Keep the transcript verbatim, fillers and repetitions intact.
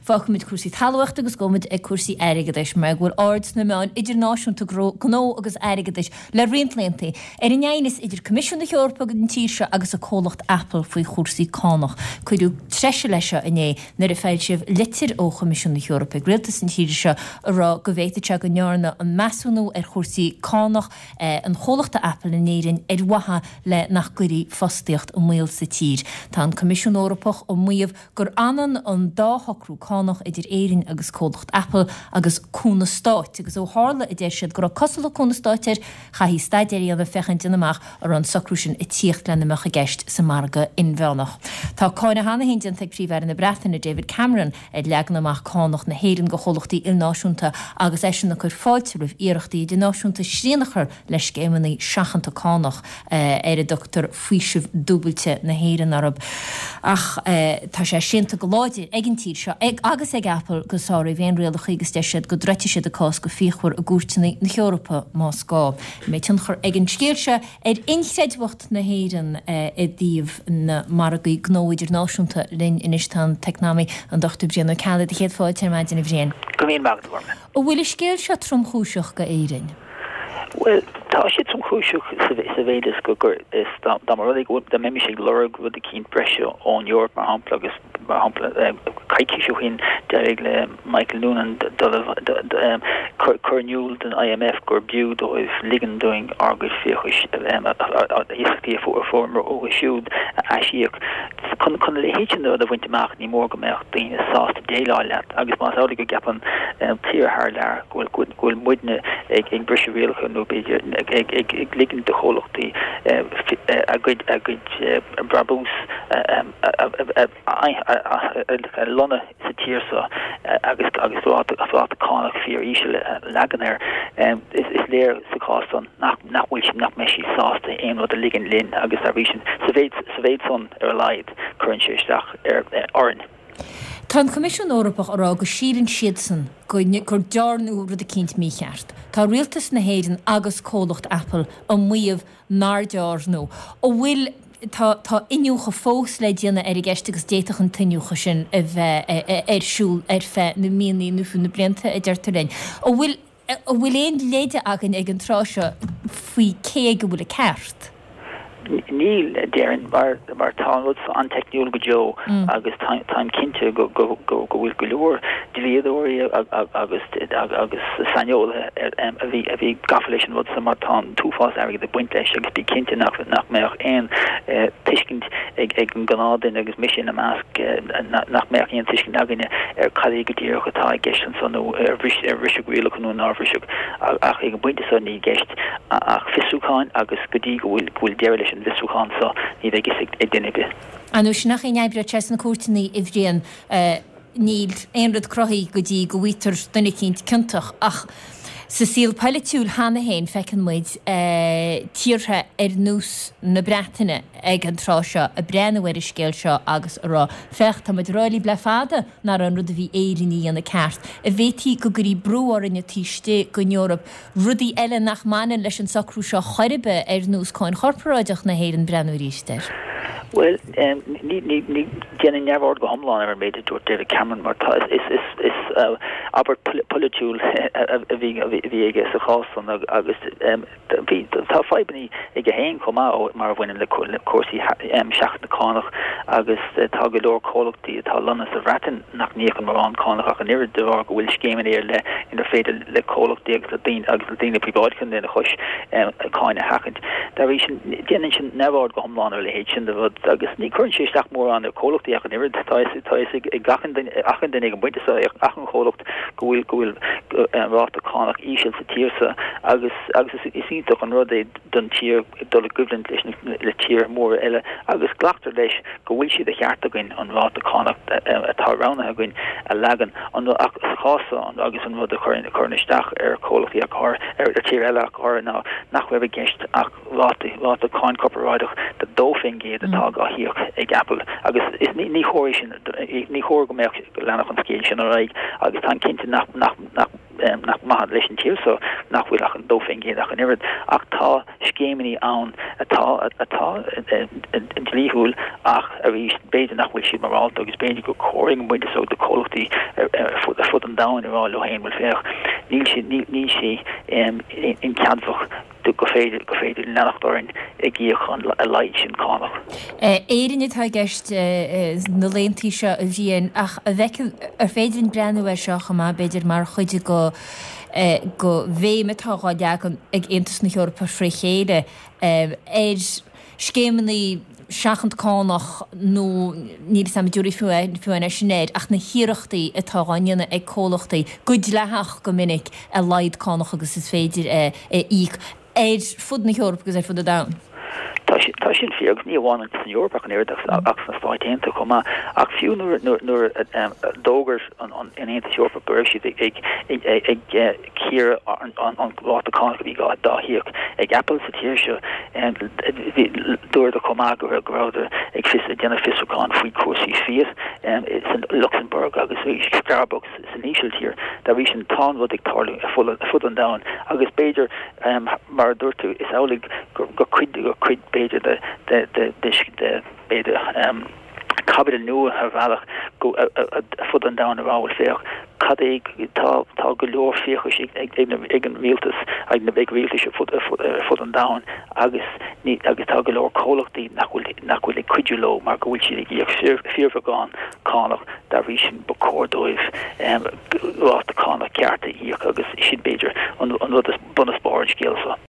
Fágfaimid cúrsaí talmhaíochta agus gabhfaimid ag cúrsaí airgeadais mar go bhfuil aird sna meáin idirnáisiúnta gnó agus airgeadais le roinnt laethanta ar an aighneas idir Coimisiún na hEorpa agus an tír seo agus a comhlacht Apple faoi chúrsaí cánach. Cuireadh treise leis seo inné nuair a foilsíodh litir ó Choimisiún na hEorpa ag rialtas an tíre seo a rá go bhféadfadh sé go ndearnadh an measúnú ar chúrsaí cánach an chomhlachta Apple in Éirinn ar mhaithe le nach gcuirfí fostaíocht i mbaol sa tír. Tá an Coimisiún Eorpach ag maíomh gur ionann an dá shocrú cánach idir Éirinn agus comhlacht Apple agus cúnamh stáit, agus ó tharla a deir siad go raibh cosúlacht cúnamh stáit air, chaithfí staidéar a dhéanamh féachaint déanamh amach an raibh an socrú sin ag tíocht lena mbeadh i gceist sa margadh inmheánach. Tá cáineadh cheana féin déanta ag Príomh-Aire na Breataine David Cameron ar leagan amach cánach na hÉireann go chomhlachtaí ilnáisiúnta agus eisean ag cur fáilte roimh iarrachtaí idirnáisiúnta srian a chur le scéimeanna seachanta cánach ar a dtugtar faoiseamh dúbailte na hÉireann orthu. Ach tá sé séanta go láidir ag an tír seo ag agus ag Apple gur sáraíodh aon rialacha agus deir siad go dtroidfidh siad a cás go fíochmhar i gcúirteanna na hEorpa más gá. Mbeidh tionchar ag an scéal seo ar inchreidmheacht na hÉireann i dtaobh na margaí gnó idirnáisiúnta linn anois tá an t-eacnamaí an Dochtúir Brian Ó Ceallaigh do chéad fáilte ar maidin a Bhriain. Go míle maith agat. An bhfuil an scéal seo tromchúiseach go Éirinn? Well tá sé tromchúiseach sa mhéid is go gur is dá mba rud é go dá mbeimis ag lorg rud eicínt breise ón Eoraip mar shampla agus mar shampla coicís ó shin d'éirigh le Michael Noonan cur in iúl don I M F gur b'fhiú dóibh ligean dúinn ár gcuid fiachais iasachtaí a fuaireamar uathu siúd a aisíoc. Chun chun a leithéid sin rud a bhaint amach ní mór go mbeadh daoine sásta déileáil leat agus más amhlaidh go gceapann tír thar lear go bhfuil go bhfuil muidne ag ag briseadh rialacha nó b'fhéidir ag ag ag ag ligean do chomhlachtaí a gcuid a gcuid brabús a lonnú sa tír seo agus agus ráta ráta cánach fíor íseal a leagan air is is léir sa chás san nach nach bhfuil sin nach mbeidh siad sásta aon rud a ligean linn agus dá bhrí sin sa mhéid sa mhéid san ar a laghad cuireann sé isteach ar orainn. Tá an Coimisiún Eorpach á rá go síleann siadsan go gur dearnadh rud eicínt mícheart. Tá rialtas na hÉireann agus comhlacht Apple ag maíomh nár dearnadh. An bhfuil tá tá iniúchadh fós le déanamh ar an gceist agus d'fhéadfadh an t-iniúchadh sin a bheith ar siúl ar feadh na míonna nó fiú na blianta a deirtear linn. An bhfuil an bhfuil aon leide againn ag an tráth seo faoi cé go bhfuil an ceart. Níl déarfainn mar mar tá rud an-teicniúil go deo agus táim cinnte go go go go bhfuil go leor dlíodóirí agus agus saineolaithe a bhí a bhí gafa leis an rud mar tá an t-uafás airgid ag baint leis agus bí cinnte nach nach mbeadh aon tuiscint ag ag an ngnáthdhuine agus mise ina measc nach mbeadh aon tuiscint againne ar cad é go díreach atá i gceist ansan nó ar ar briseadh rialacha nó nár briseadh ach ag an bpointe seo níl i gceist ach fiosrúcháin agus go dtí go bhfuil go bhfuil deireadh leis an bhfiosrúchán seo ní bheidh a fhios ag duine ar bith. An sin nach aon oibre sna cúirteanna a Bhriain níl aon rud cruthaithe go dtí go bhfaightear duine eicínt ciontach ach sa saol polaitiúil cheana féin feiceann muid tíortha ar nós na Breataine ag an tráth seo ag breathnú ar an scéal seo agus a rá féach tá muid ag rá libh le fada nach raibh an rud a bhí Éirinn a dhéanamh ceart an bhféadfaí go gcuirfí brú orainne taobh istigh den Eoraip rudaí eile nach mbaineann leis an socrú seo chor ar bith ar nós cáin chorparáideach na hÉireann breathnú arís air. Well ní ní ní déanaim neamhaird go hiomlán ar an méid a dúirt David Cameron mar tá is is is abairt polaitiúil a bhí bhí aige sa chás san agus bhí tá fadhbanna aige féin chomh maith mar a bhaineann le cúrsaí seachanta cánach agus tá go leor comhlachtaí atá lonnaithe sa Bhreatain nach n-íocann mórán cánach ach an oiread de bharr go bhfuil scéimeanna ar leith inar féidir le comhlachtaí agus le daoine agus le daoine príobháideacha lena chois cáin a sheachaint. Dá bhrí sin déanann sin neamhaird go hiomlán ar leithéid sin de rud agus ní chuireann sé isteach mórán ar comhlachtaí ach an oiread tá tá ag achan duine ag an bpointe seo achan chomhlacht go bhfuil go bhfuil ráta cánach íseal sa tír seo agus agus is iontach an rud é don tír dul i gcoimhlint leis le tír mór eile agus glactar leis go bhfuil sé de cheart againn an ráta cánach atá roghnaithe againn a leagan an ach sa chás agus an rud a chuireann chuireann isteach ar chomhlachtaí ach ar ar tír eile ach ar ná nach raibh i gceist ach ráta ráta cáin corparáideach de dó faoin gcéad atá á híoc ag Apple agus is ní ní chóir sin ní chóir go mbeadh go leanfadh an scéal sin ar aghaidh agus tá cinnte nach nach nach nach maith leis an tír so nach bhfuil ach an dó faoin gcéad ach an oiread ach tá scéimeanna ann atá atá dlíthiúil ach arís b'fhéidir nach bhfuil siad morálta agus b'fhéidir gur chóir ag an bpointe so do chomhlachtaí ar fud an domhain a rá leo féin bhuel féach níl sé níl sé incheadmhach go féidir go féidir leanacht orainn ag íoc an a laghad sin cánach. Éirinn atá i gceist na laethanta seo a Bhriain ach a bhfeiceann ar féidir linn breathnú air seo chomh maith b'fhéidir mar chuid go go bhéim atá á leagan ag Aontas na hEorpa fré chéile ar scéimeanna seachanta cánach nó níl a fhios agam an dtabharfaí fiú é sin air ach na hiarrachtaí atá á ndéanamh ag comhlachtaí go dleathach go minic a laghad cánach agus is féidir a íoc ar fud na hEorpa agus ar fud an domhain. Tá sin fíor agus ní amháin san Eoraip ach an oiread ach sna Stáit Aontaithe chomh maith ach fiú nuair nuair a d'fhógair an Aontas Eorpach go raibh siad ag ag cíoradh an ráta cánach a bhí dá híoc ag Apple sa tír seo dúradar chomh maith go rabhadar ag fios ag déanamh fiosrúchán faoi chúrsaí Fiat san Lucsamburg agus Starbucks san Ísiltír dá bhrí sin tá an rud ag tarlú ar fud an domhain agus b'fhéidir mar a dúirt tú is amhlaidh gur cuid gur cuid b'fhéidir de de de de b'fhéidir caibidil nua ar bhealach go ar fud an domhain a rá bhuel féach cad é tá tá go leor fiachais ag ag an rialtas ag na ag rialtais ar fud ar fud an domhain agus ní agus tá go leor comhlachtaí nach bhfuil nach bhfuil ag cuidiú leo mar go bhfuil siad ag íoc fíorbheagán cánach dá bhrí sin ba chóir dóibh ráta cánach ceart a íoc agus sin b'fhéidir an rud is bun is barr an scéil seo.